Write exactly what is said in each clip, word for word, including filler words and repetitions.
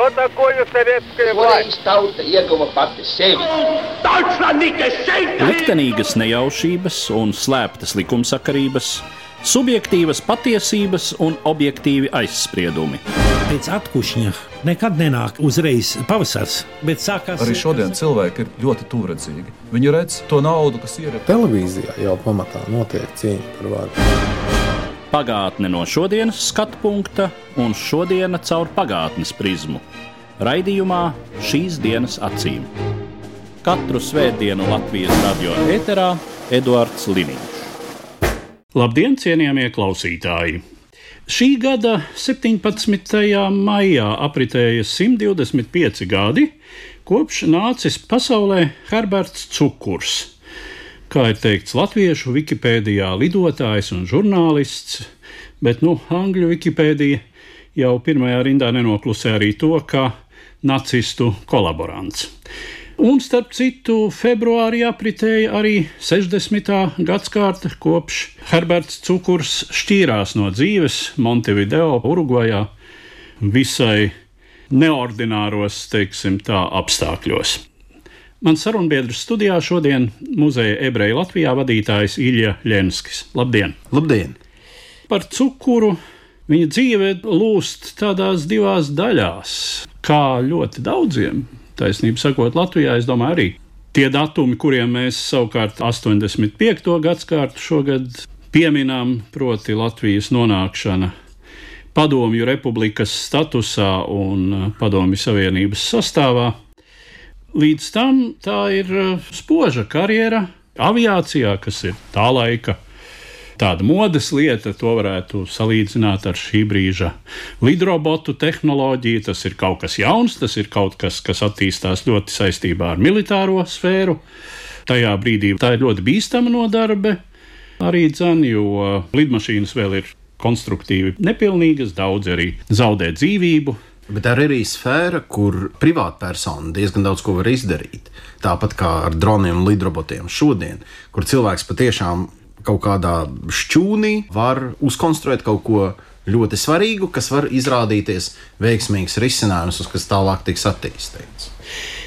Что такое советская власть? Tauta ieguva pati sevi. Liktenīgas nejaušības un slēptas likumsakarības, subjektīvas patiesības un objektīvi aizspriedumi. Pēc atkušņa nekad nenāk uzreiz pavasars, bet sākās... Arī šodien cilvēki ir ļoti tuvredzīgi. Viņi redz to naudu, kas ir... Televīzijā jau pamatā notiek cīņa par varu. Pagātne no šodienas skatu punkta un šodiena caur pagātnes prizmu. Raidījumā Šīs dienas acīm. Katru svētdienu Latvijas radio ēterā Eduards Liniņš. Labdien, cienījamie klausītāji! Šī gada septiņpadsmitajā maijā apritēja simt divdesmit pieci gadi, kopš nācis pasaulē Herberts Cukurs. Kā ir teikts latviešu Wikipēdijā, lidotājs un žurnālists, bet nu, angļu Wikipēdija jau pirmajā rindā nenoklusē arī to, ka nacistu kolaborants. Un, starp citu, februārī apritēja arī sešdesmitā gadskārta, kopš Herberts Cukurs šķīrās no dzīves Montevideo, Urugvajā, visai neordināros, teiksim tā, apstākļos. Mans sarunbiedrs studijā šodien muzeja Ebreju Latvijā vadītājs Ilja Ļenskis. Labdien! Labdien! Par Cukuru viņa dzīve lūst tādās divās daļās, kā ļoti daudziem. Taisnība sakot, Latvijā, es domāju, arī tie datumi, kuriem mēs savukārt astoņdesmit piekto gadskārtu šogad pieminām, proti Latvijas nonākšana Padomju republikas statusā un Padomju Savienības sastāvā. Līdz tam tā ir spoža karjera aviācijā, kas ir tā laika tāda modes lieta, to varētu salīdzināt ar šī brīža lidrobotu tehnoloģiju. Tas ir kaut kas jauns, tas ir kaut kas, kas attīstās ļoti saistībā ar militāro sfēru. Tajā brīdī tā ir ļoti bīstama nodarbe arī dzen, jo lidmašīnas vēl ir konstruktīvi nepilnīgas, daudz arī zaudē dzīvību. Bet tā ir arī sfēra, kur privātpersona diezgan daudz ko var izdarīt. Tāpat kā ar droniem un lidrobotiem šodien, kur cilvēks patiešām kaut kādā šķūnī var uzkonstruēt kaut ko ļoti svarīgu, kas var izrādīties veiksmīgs risinājums, uz kas tālāk tiks attīstīts.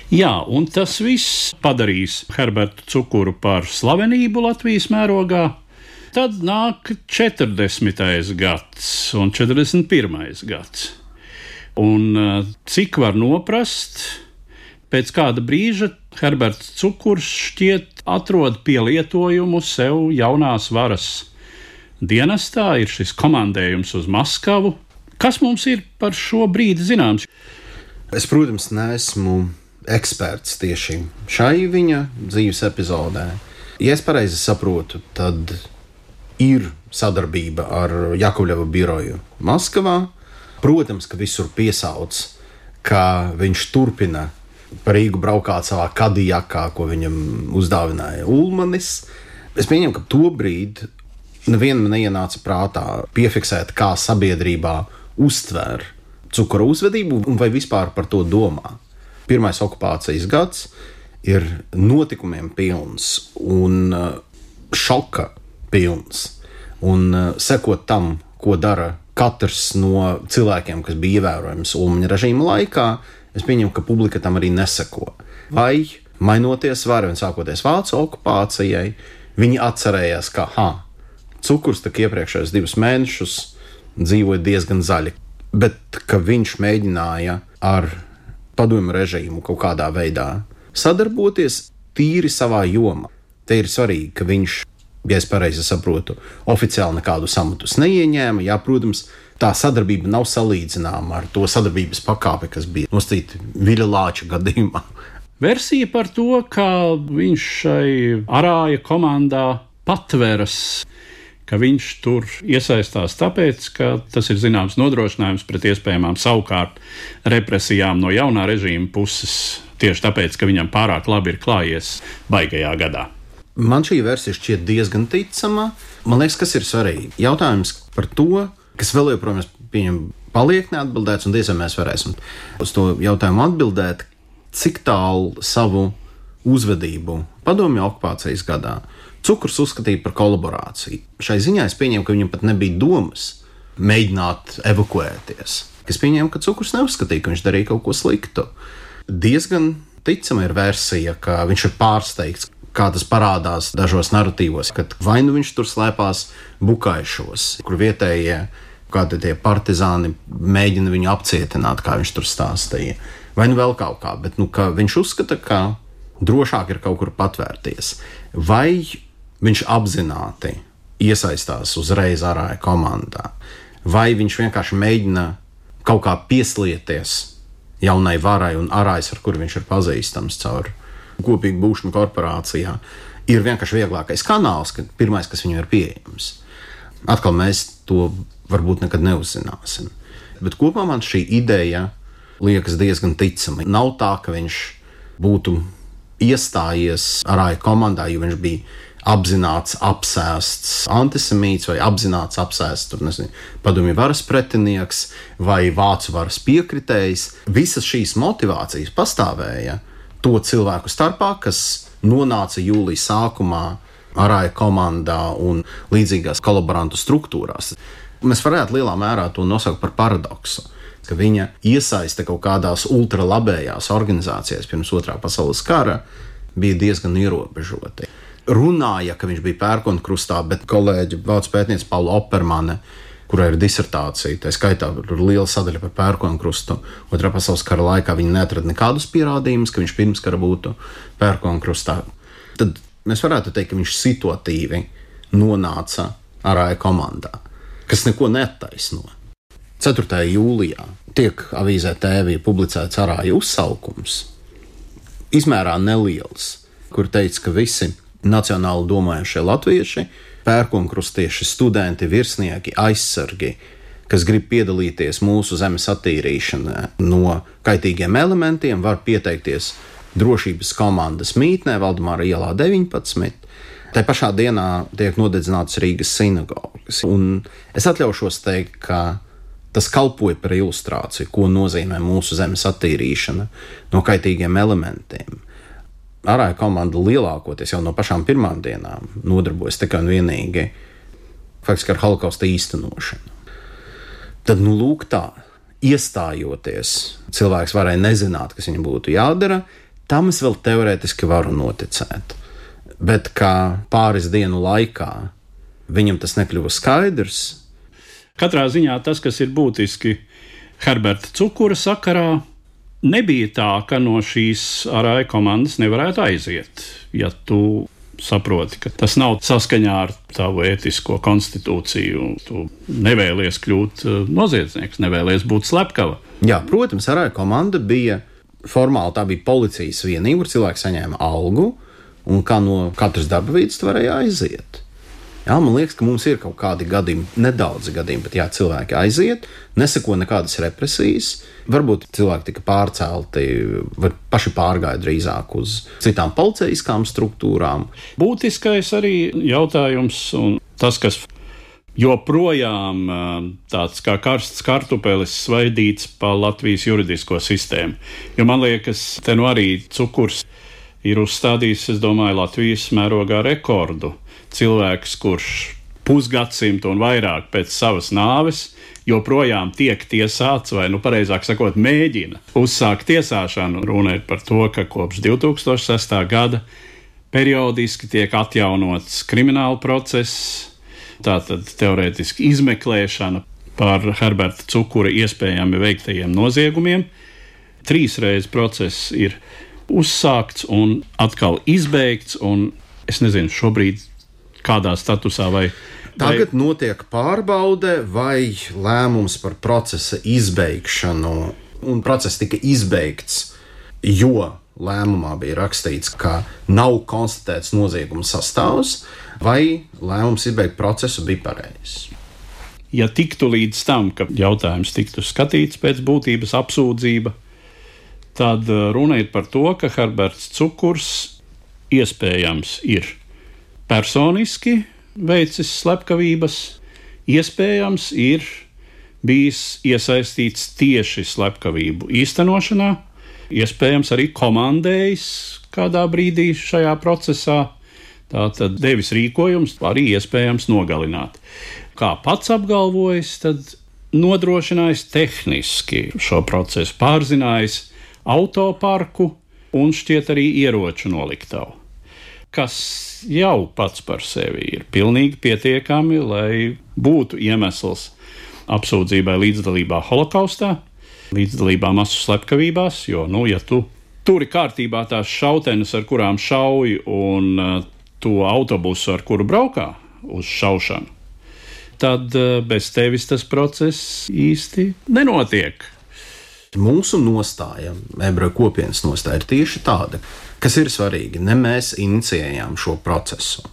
Jā, un tas viss padarīs Herbertu Cukuru par slavenību Latvijas mērogā. Tad nāk četrdesmitais gads un četrdesmit pirmais gads. Un cik var noprast, pēc kāda brīža Herberts Cukurs šķiet atrod pielietojumu sev jaunās varas dienestā, ir šis komandējums uz Maskavu. Kas mums ir par šo brīdi zināms? Es, protams, neesmu eksperts tieši šai viņa dzīves epizodē. Ja es pareizi saprotu, tad ir sadarbība ar Jakovļeva biroju Maskavā. Protams, ka visur piesauc, ka viņš turpina par Rīgu braukāt savā kadijakā, ko viņam uzdāvināja Ulmanis. Es pieņemu, ka tobrīd nevienam neienāca prātā piefiksēt, kā sabiedrībā uztver Cukura uzvedību un vai vispār par to domā. Pirmais okupācijas gads ir notikumiem pilns un šoka pilns. Un sekot tam, ko dara katrs no cilvēkiem, kas bija ievērojams Ulmaņa režīma laikā, es pieņemu, ka publika tam arī neseko. Vai, mainoties varai un sākoties Vācu okupācijai, viņi atcerējās, ka, ha, Cukurs tak iepriekšējos divus mēnešus dzīvoja diezgan zaļi, bet ka viņš mēģināja ar padomju režīmu kaut kādā veidā sadarboties tīri savā jomā. Te ir svarīgi, ka viņš, ja es pareizi saprotu, oficiāli nekādu samatus neieņēma. Jā, protams, tā sadarbība nav salīdzināma ar to sadarbības pakāpi, kas bija nosacīta Viļa Lāča gadījumā. Versija par to, ka viņš šai arāja komandā patveras, ka viņš tur iesaistās tāpēc, ka tas ir zināms nodrošinājums pret iespējamām savukārt represijām no jaunā režīma puses, tieši tāpēc, ka viņam pārāk labi ir klājies baigajā gadā. Man šī versija šķiet diezgan ticama. Man liekas, kas ir svarīgi. Jautājums par to, kas vēl joprojām pieņem paliek neatbildēts, un diez vai mēs varēsim uz to jautājumu atbildēt, cik tālu savu uzvedību padomju okupācijas gadā Cukurs uzskatīja par kolaborāciju. Šai ziņā es pieņemu, ka viņam pat nebija domas mēģināt evakuēties. kas pieņēma, ka Cukurs neuzskatīja, ka viņš darīja kaut ko sliktu. Diezgan ticama ir versija, ka viņš ir pārsteigts, kā tas parādās dažos narratīvos, kad vai nu viņš tur slēpās Bukaišos, kur vietējie kādi tie partizāni mēģina viņu apcietināt, kā viņš tur stāstīja, vai nu vēl kaut kā, bet nu, ka viņš uzskata, ka drošāk ir kaut kur patvērties. Vai viņš apzināti iesaistās uzreiz Arāja komandā, vai viņš vienkārši mēģina kaut kā pieslieties jaunai varai un Arājs, ar kuru viņš ir pazīstams caur kopīgu būšanu korporācijā, ir vienkārši vieglākais kanāls, kad pirmais, kas viņam ir pieejams. Atkal mēs to varbūt nekad neuzzināsim. Bet kopumā man šī ideja liekas diezgan ticama. Nav tā, ka viņš būtu iestājies Arāja komandā, jo viņš bija apzināts, apsēsts antisemīts vai apzināts, apsēsts, tur nezinu, padomju varas pretinieks vai vācu varas piekritējs. Visas šīs motivācijas pastāvēja to cilvēku starpā, kas nonāca jūlijas sākumā Arāja komandā un līdzīgās kolaborantu struktūrās. Mēs varētu lielā mērā to nosaukt par paradoksu, ka viņa iesaiste kaut kādās ultralabējās organizācijās pirms otrā pasaules kara bija diezgan ierobežota. Runāja, ka viņš bija pērkonkrustā, bet kolēģi vācu pētniece Paula Oppermane, kurai ir disertācija, tā skaitā ir liela sadaļa par pērkonkrustu, otrā pasaules kara laikā viņi neatrada nekādus pierādījumus, ka viņš pirms kara būtu pērkonkrustā. Tad mēs varētu teikt, ka viņš situatīvi nonāca Arāja komandā, kas neko neattaisno. ceturtajā jūlijā tiek avīzē T V publicēts Arāja uzsaukums, izmērā neliels, kur teica, ka visi nacionāli domājušie latvieši, pērkonkrustieši, studenti, virsnieki, aizsargi, kas grib piedalīties mūsu zemes attīrīšanā no kaitīgiem elementiem, var pieteikties drošības komandas mītnē Valdemāra ielā deviņpadsmit. Tā pašā dienā tiek nodedzināts Rīgas sinagogas. Un es atļaušos teikt, ka tas kalpoja par ilustrāciju, ko nozīmē mūsu zemes attīrīšana no kaitīgiem elementiem. Arāja komanda lielākoties jau no pašām pirmām dienām nodarbojas tikai un vienīgi faktiski ar holokausta īstenošanu. Tad, nu, lūk tā, iestājoties, cilvēks varēja nezināt, kas viņam būtu jādara, tam es vēl teorētiski varu noticēt. Bet kā pāris dienu laikā viņam tas nekļuva skaidrs. Katrā ziņā tas, kas ir būtiski Herberta Cukura sakarā, nebija tā, ka no šīs Arāja komandas nevarētu aiziet, ja tu saproti, ka tas nav saskaņā ar tavu ētisko konstitūciju. Tu nevēlies kļūt noziedznieks, nevēlies būt slepkava. Jā, protams, Arāja komanda bija formāli, tā bija policijas vienība, kur cilvēki saņēma algu, un kā no katras darba vietas varēja aiziet. Jā, man liekas, ka mums ir kaut kādi gadījumi, nedaudzi gadījumi, bet jā, cilvēki aiziet, neseko nekādas represijas, varbūt cilvēki tika pārcelti, vai paši pārgāja drīzāk uz citām policijiskām struktūrām. Būtiskais arī jautājums, un tas, kas joprojām tāds kā karsts kartupelis svaidīts pa Latvijas juridisko sistēmu. Jo man liekas, te nu arī Cukurs ir uzstādījis, es domāju, Latvijas mērogā rekordu. Cilvēks, kurš pusgadsimtu un vairāk pēc savas nāves joprojām tiek tiesāts, vai, nu, pareizāk sakot, mēģina uzsākt tiesāšanu. Runa ir par to, ka kopš divtūkstoš sestā gada periodiski tiek atjaunots krimināla process, tātad teorētiski izmeklēšana par Herberta Cukura iespējami veiktajiem noziegumiem. Trīs reizes process ir uzsākts un atkal izbeigts, un es nezinu šobrīd kādā statusā vai... Tagad vai... notiek pārbaude vai lēmums par procesa izbeigšanu, un process tika izbeigts, jo lēmumā bija rakstīts, ka nav konstatēts nozieguma sastāvs, vai lēmums izbeigt procesu bija pareizs. Ja tiktu līdz tam, ka jautājums tiktu skatīts pēc būtības apsūdzība, tad runa ir par to, ka Herberts Cukurs iespējams ir personiski veicis slepkavības, iespējams ir bijis iesaistīts tieši slepkavību īstenošanā, iespējams arī komandējis kādā brīdī šajā procesā, tātad devis rīkojums arī iespējams nogalināt. Kā pats apgalvojis, tad nodrošinājis tehniski šo procesu, pārzinājis autoparku un šķiet arī ieroču noliktavu, kas jau pats par sevi ir pilnīgi pietiekami, lai būtu iemesls apsūdzībai līdzdalībā holokaustā, līdzdalībā masu slepkavībās, jo, nu, ja tu turi kārtībā tās šautenes, ar kurām šauj, un uh, to autobusu, ar kuru braukā uz šaušanu, tad uh, bez tevis tas process īsti nenotiek. Mūsu nostāja, ebreju kopienas nostāja, ir tieši tāda, kas ir svarīgi. Ne mēs inicijējām šo procesu.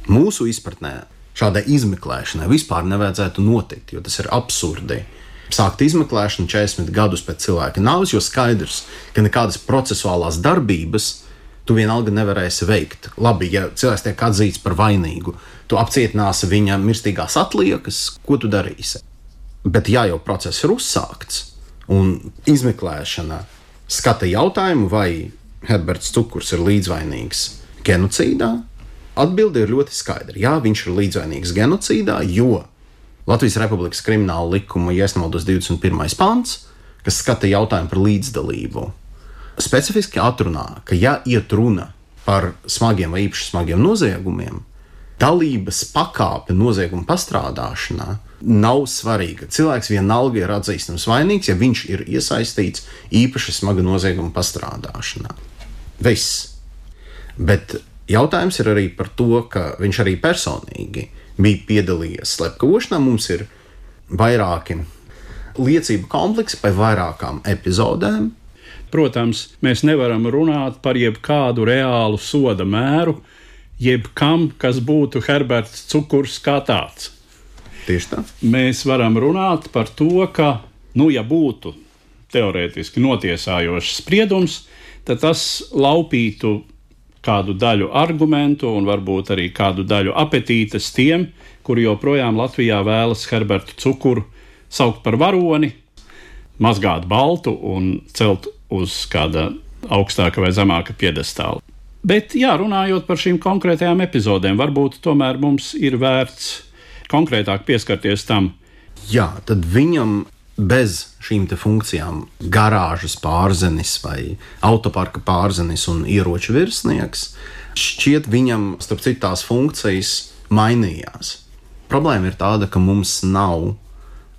Mūsu izpratnē šādai izmeklēšanai vispār nevajadzētu notikt, jo tas ir absurdi. Sākt izmeklēšanu četrdesmit gadus pēc cilvēka nāves, jo skaidrs, ka nekādas procesuālās darbības tu vienalga nevarēsi veikt. Labi, ja cilvēks tiek atzīts par vainīgu, tu apcietināsi viņa mirstīgās atliekas, ko tu darīsi? Bet ja jau process ir uzsākts, un izmeklēšana skata jautājumu, vai Herberts Cukurs ir līdzvainīgs genocīdā, atbilde ir ļoti skaidra. Jā, viņš ir līdzvainīgs genocīdā, jo Latvijas Republikas krimināla likuma, ja nemaldos, divdesmit pirmais pants, kas skata jautājumu par līdzdalību, specifiski atrunā, ka ja iet runa par smagiem vai īpaši smagiem noziegumiem, dalības pakāpe nozieguma pastrādāšanā nav svarīga. Cilvēks vienalga ir atzīstams vainīgs, ja viņš ir iesaistīts īpaši smaga nozieguma pastrādāšanā. Viss. Bet jautājums ir arī par to, ka viņš arī personīgi bija piedalījies slepkavošanā. Mums ir vairāki liecību kompleksi par vairākām epizodēm. Protams, mēs nevaram runāt par jebkādu reālu soda mēru, jebkam, kas būtu Herberts Cukurs kā tāds. Tieši tā. Mēs varam runāt par to, ka, nu, ja būtu teorētiski notiesājošs spriedums, tad tas laupītu kādu daļu argumentu un varbūt arī kādu daļu apetītes tiem, kuri joprojām Latvijā vēlas Herbertu Cukuru saukt par varoni, mazgāt baltu un celt uz kāda augstāka vai zemāka piedestāla. Bet, jā, runājot par šīm konkrētajām epizodēm, varbūt tomēr mums ir vērts konkrētāk pieskarties tam. Jā, tad viņam bez šīm te funkcijām garāžas pārzenis vai autoparka pārzenis un ieroču virsnieks, šķiet viņam, starp citu, tās funkcijas mainījās. Problēma ir tāda, ka mums nav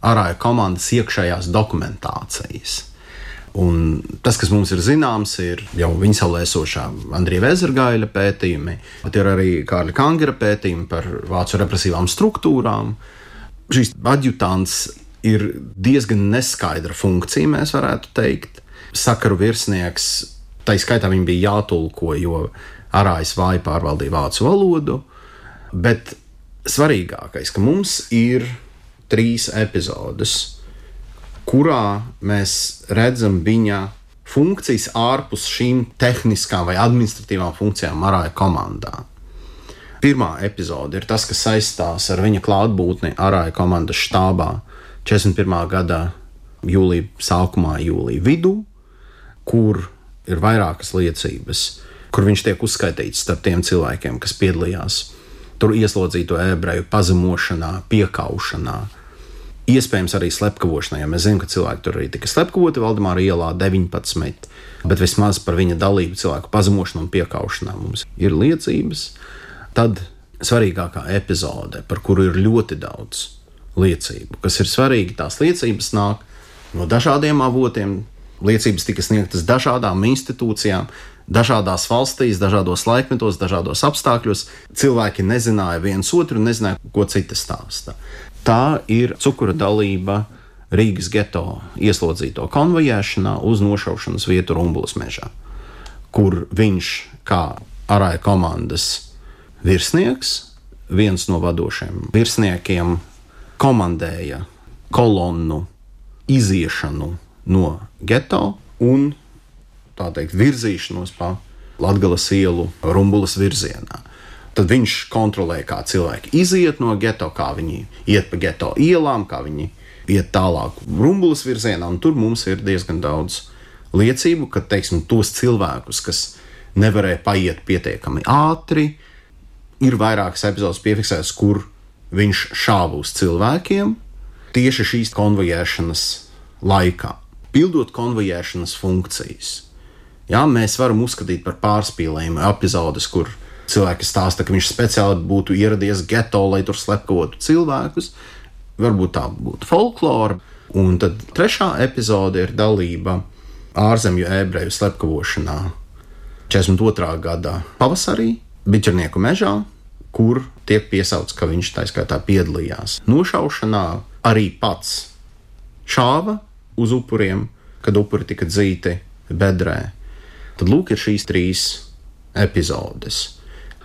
Arāja komandas iekšējās dokumentācijas. Un tas, kas mums ir zināms, ir jau viņa savlēsošā Andrija Vezergaļa pētījumi, bet ir arī Kārļa Kangera pētījumi par vācu represīvām struktūrām. Šīs adjutants ir diezgan neskaidra funkcija, mēs varētu teikt. Sakaru virsnieks, tai skaitā viņi bija jātulko, jo Arājs vāji pārvaldīja vācu valodu, bet svarīgākais, ka mums ir trīs epizodes, kurā mēs redzam viņa funkcijas ārpus šīm tehniskām vai administratīvām funkcijām Arāja komandā. Pirmā epizode ir tas, kas saistās ar viņa klātbūtni Arāja komandas štābā četrdesmit pirmā gada jūlija sākumā, jūlija vidū, kur ir vairākas liecības, kur viņš tiek uzskaitīts starp tiem cilvēkiem, kas piedalījās tur ieslodzīto ebreju pazemošanā, piekaušanā, iespējams arī slepkavošanā, ja mēs zinām, ka cilvēki tur arī tika slepkavoti Valdemāra ielā deviņpadsmit, bet vismaz par viņa dalību cilvēku pazemošanā un piekaušanā mums ir liecības. Tad svarīgākā epizode, par kuru ir ļoti daudz liecību, kas ir svarīgi, tās liecības nāk no dažādiem avotiem, liecības tika sniegtas dažādām institūcijām, dažādās valstīs, dažādos laikmetos, dažādos apstākļos. Cilvēki nezināja viens otru un nezināja, ko citi stāsta. Tā ir Cukura dalība Rīgas geto ieslodzīto konvojēšanā uz nošaušanas vietu Rumbulas mežā, kur viņš kā Arāja komandas virsnieks, viens no vadošiem virsniekiem, komandēja kolonnu iziešanu no geto un, tā teikt, virzīšanos pa Latgales ielu Rumbulas virzienā. Tad viņš kontrolē, kā cilvēki iziet no geto, kā viņi iet pa geto ielām, kā viņi iet tālāk Rumbulas virzienā, un tur mums ir diezgan daudz liecību, ka, teiksim, tos cilvēkus, kas nevarēja paiet pietiekami ātri, ir vairākas epizodes piefiksētas, kur viņš šāva uz cilvēkiem, tieši šīs konvojēšanas laikā, pildot konvojēšanas funkcijas. Jā, mēs varam uzskatīt par pārspīlējumu epizodes, kur cilvēki stāsta, ka viņš speciāli būtu ieradies geto, lai tur slepkavotu cilvēkus. Varbūt tā būtu folklora. Un tad trešā epizode ir dalība ārzemju ebreju slepkavošanā četrdesmit otrā gada pavasarī, Biķernieku mežā, kur tiek piesauts, ka viņš tā skaitā piedalījās nošaušanā, arī pats šāva uz upuriem, kad upuri tika dzīti bedrē. Tad lūk ir šīs trīs epizodes.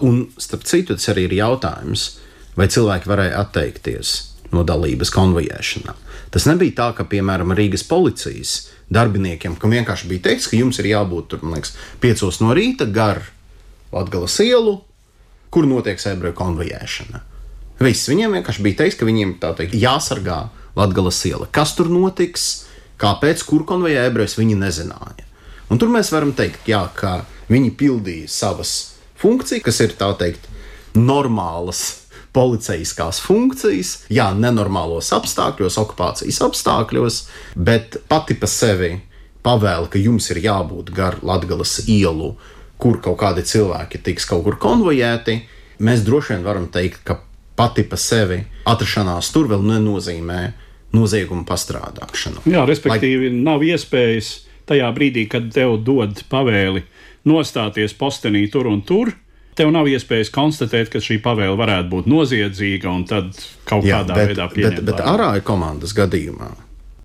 Un starp citu, tas arī ir jautājums, vai cilvēki varēja atteikties no dalības konvojēšanā. Tas nebija tā, ka, piemēram, Rīgas policijas darbiniekiem, kam vienkārši bija teikts, ka jums ir jābūt tur, man liekas, piecos no rīta gar Latgales ielu, kur notiek ebreju konvojēšana. Viss, viņiem vienkārši bija teikts, ka viņiem tā teikt jāsargā Latgales iela. Kas tur notiks, kāpēc, kur konvojē ebrejus, viņi nezināja. Un tur mēs varam teikt, jā, ka viņi pildīja savas funkcijas, kas ir tā teikt normālas policijiskās funkcijas, jā, nenormālos apstākļos, okupācijas apstākļos, bet pati pa sevi pavēla, ka jums ir jābūt gar Latgales ielu, kur kaut kādi cilvēki tiks kaut kur konvojēti. Mēs droši vien varam teikt, ka pati pa sevi atrašanās tur vēl nenozīmē noziegumu pastrādāšanu. Jā, respektīvi, Lai... nav iespējas tajā brīdī, kad tev dod pavēli nostāties postenī tur un tur, tev nav iespējas konstatēt, ka šī pavēle varētu būt noziedzīga un tad kaut Jā, kādā bet, veidā pieņemt. Bet, bet Arāja komandas gadījumā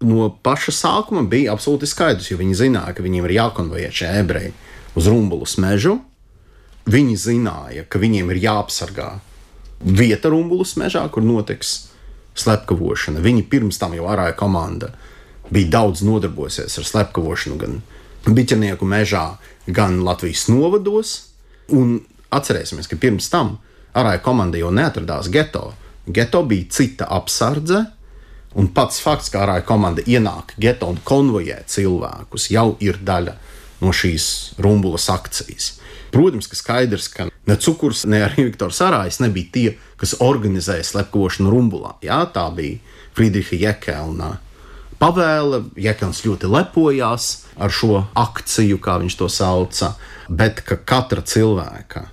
no paša sākuma bija absolūti skaidrs, jo viņi zināja, ka viņiem ir jākonvojē šie ebreji uz Rumbulas mežu. Viņi zināja, ka viņiem ir jāapsargā vieta Rumbulas mežā, kur notiks slepkavošana. Viņi pirms tam jau Arāja komanda bija daudz nodarbojusies ar slepkavošanu gan Biķernieku mežā, gan Latvijas novados. Un atcerēsimies, ka pirms tam Arāja komanda jau neatradās geto. Geto bija cita apsardze, un pats fakts, ka Arāja komanda ienāk geto un konvojē cilvēkus, jau ir daļa no šīs Rumbulas akcijas. Protams, ka skaidrs, ka ne Cukurs, ne arī Viktors Arājs nebija tie, kas organizēja slepkavošanu Rumbulā. Jā, tā bija Friedriha Jekelna pavēle. Jekelns ļoti lepojās ar šo akciju, kā viņš to sauca, bet ka katra cilvēka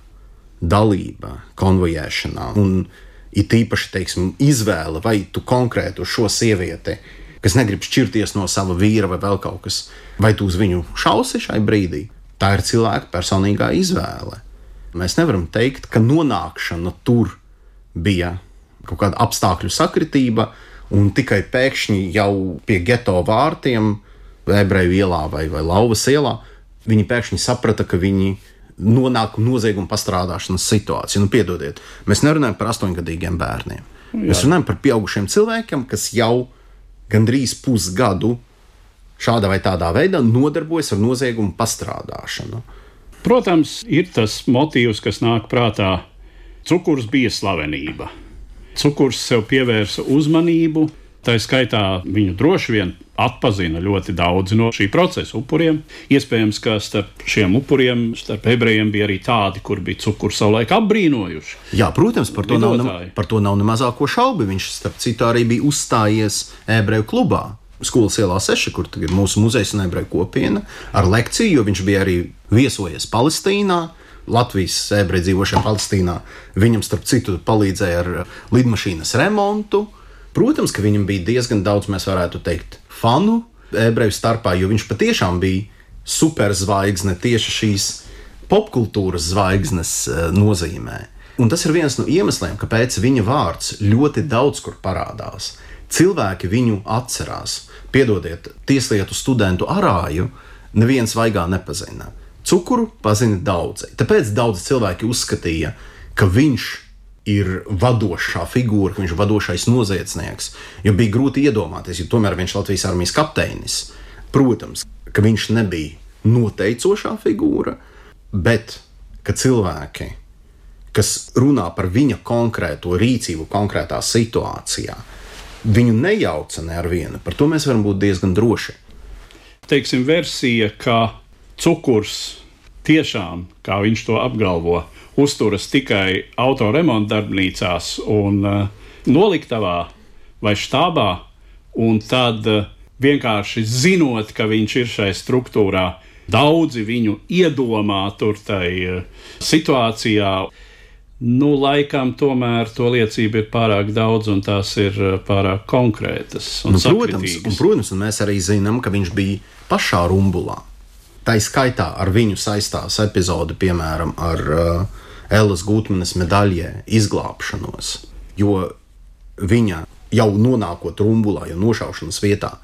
dalība konvojēšanā un it īpaši, teiksim, izvēle, vai tu konkrētu šo sievieti, kas negrib šķirties no sava vīra vai vēl kaut kas, vai tu uz viņu šausi šai brīdī, tā ir cilvēka personīgā izvēle. Mēs nevaram teikt, ka nonākšana tur bija kaut kāda apstākļu sakritība un tikai pēkšņi jau pie geto vārtiem, Ebreju ielā vai, vai Lauvas ielā, viņi pēkšņi saprata, ka viņi nonāk nozieguma pastrādāšanas situāciju. Nu, piedodiet, mēs nerunājam par astoņgadīgiem bērniem. Jā. Mēs runājam par pieaugušiem cilvēkiem, kas jau gandrīz pusgadu šādā vai tādā veidā nodarbojas ar noziegumu pastrādāšanu. Protams, ir tas motīvs, kas nāk prātā. Cukurs bija slavenība. Cukurs sev pievērsa uzmanību, tā skaitā viņu droši vien atpazina ļoti daudzi no šī procesa upuriem. Iespējams, ka starp šiem upuriem, starp ebrejiem bija arī tādi, kur bija Cukuru savulaik apbrīnojuši. Jā, protams, par to, nav, ne, par to nav ne mazāko šaubu. Viņš starp citu arī bija uzstājies ebreju klubā, Skolas ielā seši, kur ir mūsu muzejs un ebreju kopiena, ar lekciju, jo viņš bija arī viesojies Palestīnā, Latvijas ebreji dzīvošajā Palestīnā. Viņam starp citu palīdzēja ar lidmašīnas remontu. Protams, ka viņam bija diezgan daudz, mēs varētu teikt, fanu ebreju starpā, jo viņš patiešām bija superzvaigzne tieši šīs popkultūras zvaigznes nozīmē. Un tas ir viens no iemesliem, kāpēc viņa vārds ļoti daudz kur parādās. Cilvēki viņu atcerās. Piedodiet, tieslietu studentu Arāju neviens vaigā nepazina. Cukuru pazina daudzi. Tāpēc daudzi cilvēki uzskatīja, ka viņš ir vadošā figūra, ka viņš ir vadošais noziedznieks, jo bija grūti iedomāties, jo tomēr viņš ir Latvijas armijas kapteinis. Protams, ka viņš nebija noteicošā figūra, bet ka cilvēki, kas runā par viņa konkrēto rīcību konkrētā situācijā, viņu nejauca ne ar vienu, par to mēs varam būt diezgan droši. Teiksim, versija, ka Cukurs tiešām, kā viņš to apgalvo, uzturas tikai autoremonta darbnīcās un uh, noliktavā vai štābā, un tad vienkārši zinot, ka viņš ir šai struktūrā, daudzi viņu iedomā tur tai situācijā. Nu, laikam tomēr to liecība ir pārāk daudz, un tās ir pārāk konkrētas un nu, protams, sakritīgas. un, protams, un mēs arī zinām, ka viņš bija pašā rumbulā. Tā skaitā ar viņu saistās epizode, piemēram, ar uh, Ellas Gutmanes medaļē izglābšanos, jo viņa jau nonākot rumbulā, jau nošaušanas vietā,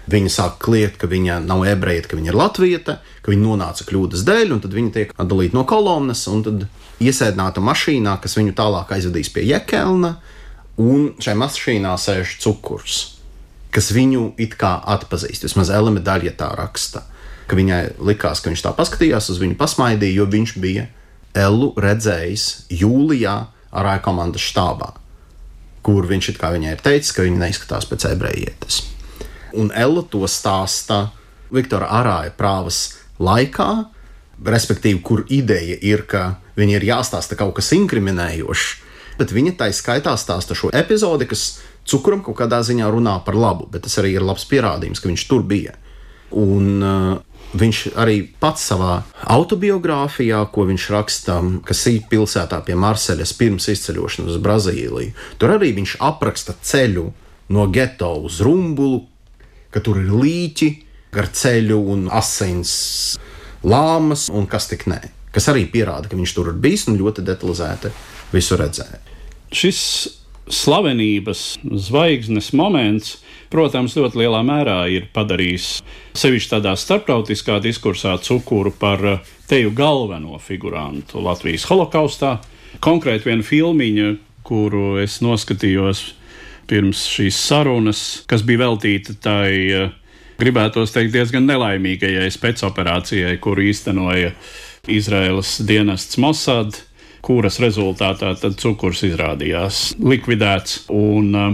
viņa sāk kliegt, ka viņa nav ebreja, ka viņa ir latvieta, ka viņa nonāca kļūdas dēļ, un tad viņa tiek atdalīta no kolonnas, un tad iesēdināta mašīnā, kas viņu tālāk aizvedīs pie Jekelna, un šai mašīnā sēž Cukurs, kas viņu it kā atpazīst. Vismaz Ella medaļa tā raksta, ka viņai likās, ka viņš tā paskatījās uz viņu, pasmaidīja, jo viņš bija Ellu redzējis jūlijā Arāja komandas štābā, kur viņš it kā viņai ir teicis, ka viņa neizskatās pēc ebrejietes. Un Ella to stāsta Viktora Arāja prāvas laikā, respektīvi, kur ideja ir, ka viņa ir jāstāsta kaut kas inkriminējošs, bet viņa tai skaitā stāsta šo epizodi, kas Cukuram kaut kādā ziņā runā par labu, bet tas arī ir labs pierādījums, ka viņš tur bija. Un uh, viņš arī pats savā autobiogrāfijā, ko viņš raksta Kasī pilsētā pie Marseļas pirms izceļošanas uz Brazīliju, tur arī viņš apraksta ceļu no geto uz Rumbulu, ka tur ir līķi gar ceļu un asins lāmas un kas tik nē. Kas arī pierāda, ka viņš tur ir bijis un ļoti detalizēti visu redzēja. Šis slavenības zvaigznes moments, protams, ļoti lielā mērā ir padarījis sevišķi tādā starptautiskā diskursā Cukuru par teju galveno figurantu Latvijas holokaustā. Konkrēti viena filmiņa, kuru es noskatījos pirms šīs sarunas, kas bija veltīta tai, gribētos teikt, diezgan nelaimīgajai spēcoperācijai, kuru īstenoja Izraēlas dienests Mossad, kuras rezultātā tad Cukurs izrādījās likvidēts. Un, uh,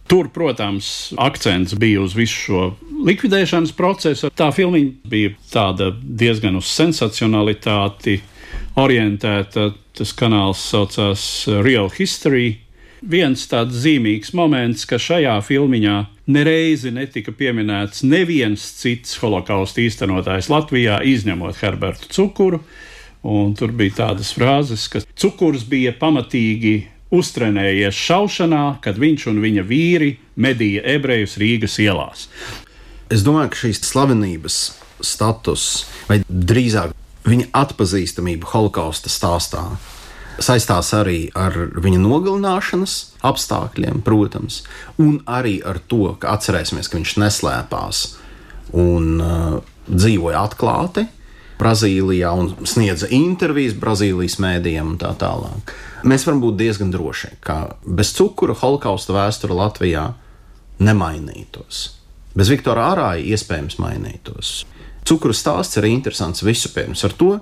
tur, protams, akcents bija uz visu šo likvidēšanas procesu. Tā filmiņa bija tāda diezgan uz sensacionalitāti orientēta. Tas kanāls saucās Real History. Viens tāds zīmīgs moments, ka šajā filmiņā nereizi netika pieminēts neviens cits holokausta īstenotājs Latvijā, izņemot Herbertu Cukuru. Un tur bija tādas frāzes, ka Cukurs bija pamatīgi uztrenējies šaušanā, kad viņš un viņa vīri medīja ebrejus Rīgas ielās. Es domāju, ka šīs slavenības status, vai drīzāk viņa atpazīstamība holokausta stāstā, saistās arī ar viņa nogalināšanas apstākļiem, protams, un arī ar to, ka atcerēsimies, ka viņš neslēpās un uh, dzīvoja atklāti Brazīlijā un sniedza intervijas Brazīlijas mēdījiem un tā tālāk. Mēs varam būt diezgan droši, ka bez Cukura holokausta vēsture Latvijā nemainītos. Bez Viktora Arāja iespējams mainītos. Cukura stāsts ir interesants vispirms ar to,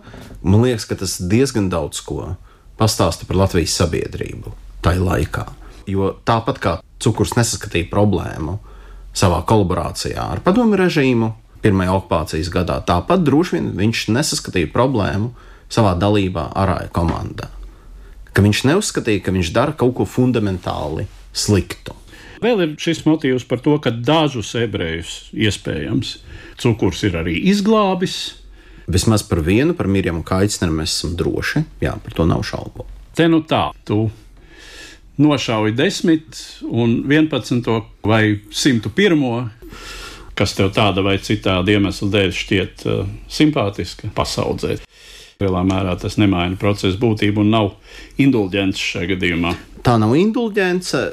man liekas, ka tas diezgan daudz ko pastāsta par Latvijas sabiedrību tajā laikā. Jo tāpat kā Cukurs nesaskatīja problēmu savā kolaborācijā ar padomju režīmu pirmajā okupācijas gadā, tāpat droši vien viņš nesaskatīja problēmu savā dalībā Arāja komandā. Ka viņš neuzskatīja, ka viņš dara kaut ko fundamentāli sliktu. Vēl ir šis motīvs par to, ka dažus ebrejus iespējams Cukurs ir arī izglābis. Vismaz par vienu, par Mirjamu Kaitsneru mēs esam droši. Jā, par to nav šaubu. Te nu tā, tu nošauji desmit un vienpadsmito vai simtu pirmo, kas tev tāda vai citāda iemesla dēļ šķiet uh, simpātiska pasaudzēt. Lielā mērā tas nemaina procesa būtību un nav indulģence šajā gadījumā. Tā nav indulģence,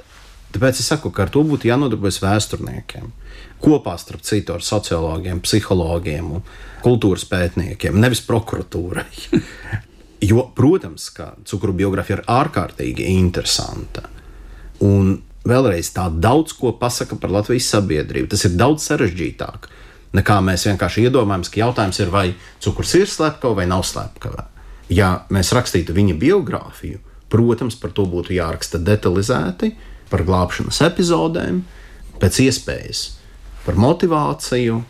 tāpēc es saku, ka ar to būtu jānodarbojas vēsturniekiem. Kopā starp citu ar sociologiem, psihologiem un kultūras pētniekiem, nevis prokuratūrai. Jo, protams, ka Cukura biogrāfija ir ārkārtīgi interesanta. Un vēlreiz tā daudz ko pasaka par Latvijas sabiedrību. Tas ir daudz sarežģītāk, nekā mēs vienkārši iedomājamies, ka jautājums ir, vai Cukurs ir slepkava vai nav slepkava. Ja mēs rakstītu viņa biogrāfiju, protams, par to būtu jāraksta detalizēti, par glābšanas epizodēm, pēc iespējas, par motivāciju,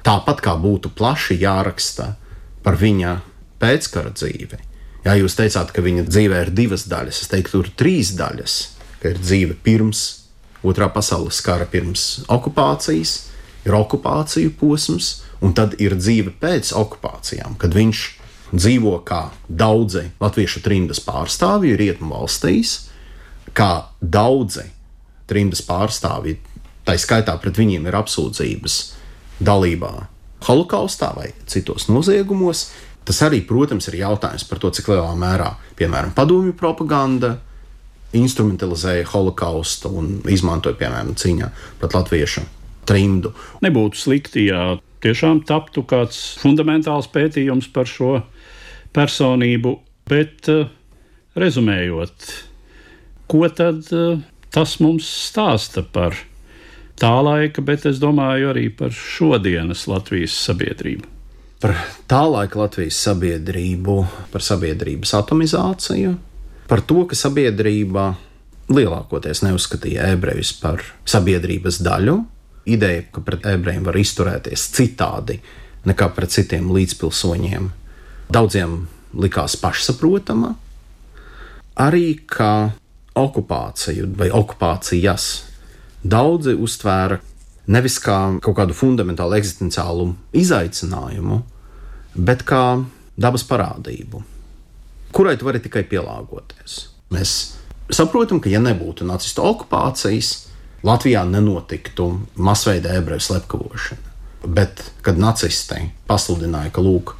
tāpat kā būtu plaši jāraksta par viņa pēckara dzīvi. Ja jūs teicāt, ka viņa dzīvē ir divas daļas, es teiktu, tur ir trīs daļas, ka ir dzīve pirms Otrā pasaules kara pirms okupācijas, ir okupāciju posms, un tad ir dzīve pēc okupācijām, kad viņš dzīvo kā daudzi latviešu trimdas pārstāvji rietumu valstīs, kā daudzi trimdas pārstāvji, tā skaitā pret viņiem ir apsūdzības dalībā holokaustā vai citos noziegumos. Tas arī, protams, ir jautājums par to, cik lielā mērā, piemēram, padomju propaganda instrumentalizēja holokaustu un izmantoja, piemēram, cīņā pret latviešu trimdu. Nebūtu slikti, ja tiešām taptu kāds fundamentāls pētījums par šo personību, bet uh, rezumējot, ko tad uh, tas mums stāsta par tā laika, bet es domāju arī par šodienas Latvijas sabiedrību? Par tā laika Latvijas sabiedrību, par sabiedrības atomizāciju, par to, ka sabiedrība lielākoties neuzskatīja ebrejus par sabiedrības daļu, ideja, ka pret ebrejiem var izturēties citādi nekā pret citiem līdzpilsoņiem, daudziem likās pašsaprotama, arī ka okupāciju vai okupācijas daudzi uztvēra nevis kā kaut kādu fundamentālu eksistenciālu izaicinājumu, bet kā dabas parādību, kurai tu vari tikai pielāgoties. Mēs saprotam, ka ja nebūtu nacistu okupācijas, Latvijā nenotiktu masveida ebreju slepkavošana. Bet, kad nacisti pasludināja, ka lūk,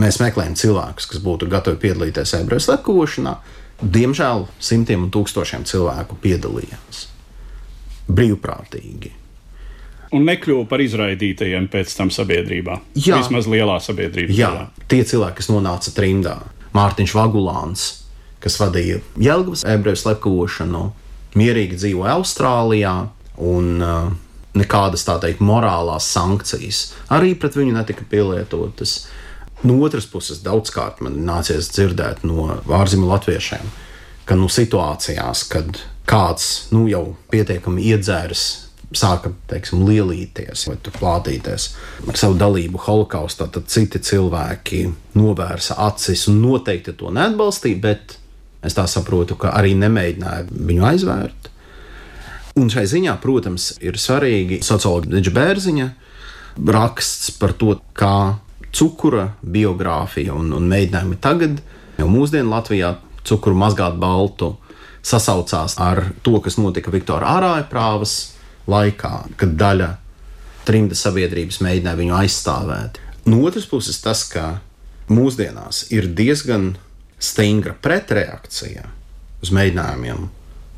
mēs meklējam cilvēkus, kas būtu gatavi piedalīties ebreju slepkavošanā, diemžēl simtiem un tūkstošiem cilvēku piedalījās brīvprātīgi. Un nekļuva par izraidītajiem pēc tam sabiedrībā. Jā. Vismaz lielā sabiedrībā. Jā, tie cilvēki, kas nonāca trimdā. Mārtiņš Vagulāns, kas vadīja Jelgavas ebreju slepkavošanu, mierīgi dzīvoja Austrālijā, un uh, nekādas, tā teikt, morālās sankcijas arī pret viņu netika pielietotas. No otras puses, daudzkārt man nācies dzirdēt no ārzemju latviešiem, ka nu, situācijās, kad kāds nu, jau pietiekami iedzēris, sāka, teiksim, lielīties vai plātīties ar savu dalību holokaustā, tad citi cilvēki novērsa acis un noteikti to neatbalstīja, bet es tā saprotu, ka arī nemēģināja viņu aizvērt. Un šai ziņā, protams, ir svarīgi sociologa Deģa Bērziņa raksts par to, kā cukura biogrāfija un, un mēģinājumi tagad, jau mūsdienu Latvijā cukuru mazgāt baltu, sasaucās ar to, kas notika Viktora Ārāja prāvas laikā, kad daļa trimdas sabiedrības mēģināja viņu aizstāvēt. No otras puses tas, ka mūsdienās ir diezgan stingra pretreakcija uz mēģinājumiem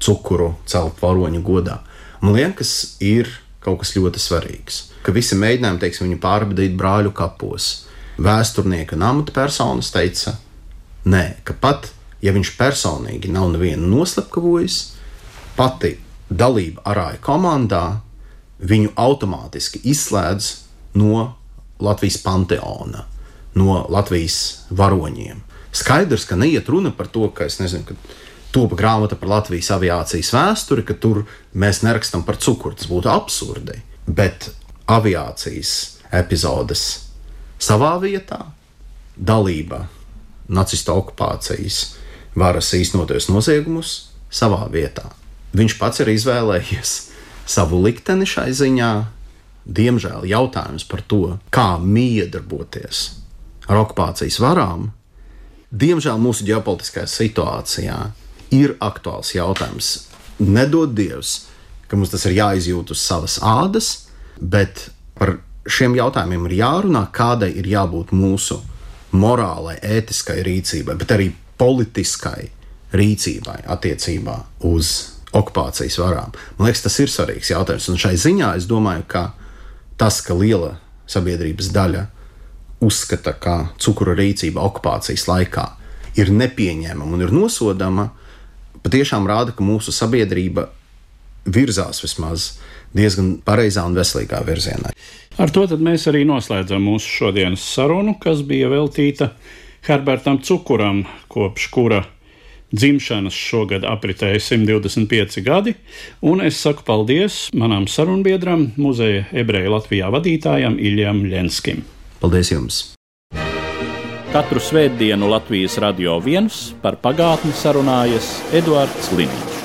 cukuru celt varoņu godā. Man liekas, ir kaut kas ļoti svarīgs, ka visi mēģinājumi, teiksim, viņu pārbadīt brāļu kapos. Vēsturnieki un amatpersonas teica, nē, ka pat, ja viņš personīgi nav nevienu noslepkavojis, pati dalība Arāja komandā viņu automātiski izslēdz no Latvijas panteona, no Latvijas varoņiem. Skaidrs, ka neiet runa par to, ka es nezinu, ka topa grāmata par Latvijas aviācijas vēsturi, ka tur mēs nerakstam par cukuru, tas būtu absurdi. Bet aviācijas epizodes savā vietā, dalība nacistu okupācijas varas īstenotajos noziegumus savā vietā. Viņš pats ir izvēlējies savu likteni šai ziņā. Diemžēl jautājums par to, kā miedarboties ar okupācijas varām, diemžēl mūsu ģeopolitiskajā situācijā ir aktuāls jautājums. Nedod Dievs, ka mums tas ir jāizjūt uz savas ādas, bet par šiem jautājumiem ir jārunā, kādai ir jābūt mūsu morālai, ētiskai rīcībai, bet arī politiskai rīcībai attiecībā uz okupācijas varām. Man liekas, tas ir svarīgs jautājums, un šai ziņā es domāju, ka tas, ka liela sabiedrības daļa uzskata, ka cukura rīcība okupācijas laikā ir nepieņēmama un ir nosodama, patiešām rāda, ka mūsu sabiedrība virzās vismaz diezgan pareizā un veselīgā virzienā. Ar to tad mēs arī noslēdzam mūsu šodienas sarunu, kas bija veltīta Herbertam Cukuram, kopš kura dzimšanas šogad apritēja simt divdesmit pieci gadi, un es saku paldies manam sarunbiedram, muzeja ebreju Latvijā vadītājam Iļjam Ļenskim. Paldies jums! Katru svētdienu Latvijas Radio viens par pagātni sarunājas Eduards Liniņš.